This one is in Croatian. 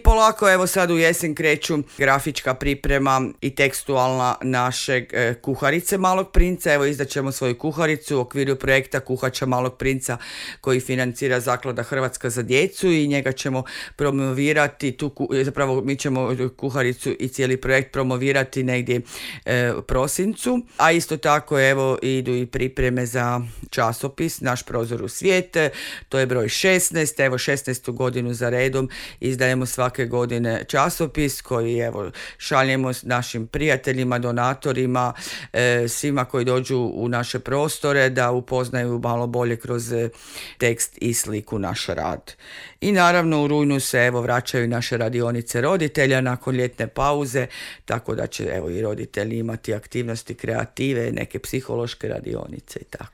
polako evo sad u jesen kreću grafička priprema i tekstualna našeg Kuharice Malog princa. Evo izdaćemo svoju kuharicu u okviru projekta Kuhača Malog princa koji financira Zaklada Hrvatska za djecu i njega ćemo promovirati, zapravo mi ćemo kuharicu i cijeli projekt promovirati negdje u prosincu, a isto tako evo idu i pripreme za časopis Naš prozor u svijet, to je broj 16, evo 16. godinu za redom izdajemo svake godine časopis koji evo šaljemo s našim prijateljima, donatorima, svima koji dođu u naše prostore da upoznaju malo bolje kroz tekst i sliku naš rad. I naravno u rujnu se evo vraćaju naše radionice roditelja nakon ljetne pauze, tako da će evo i roditelji imati aktivnosti kreative, neke psihološke radionice i tako.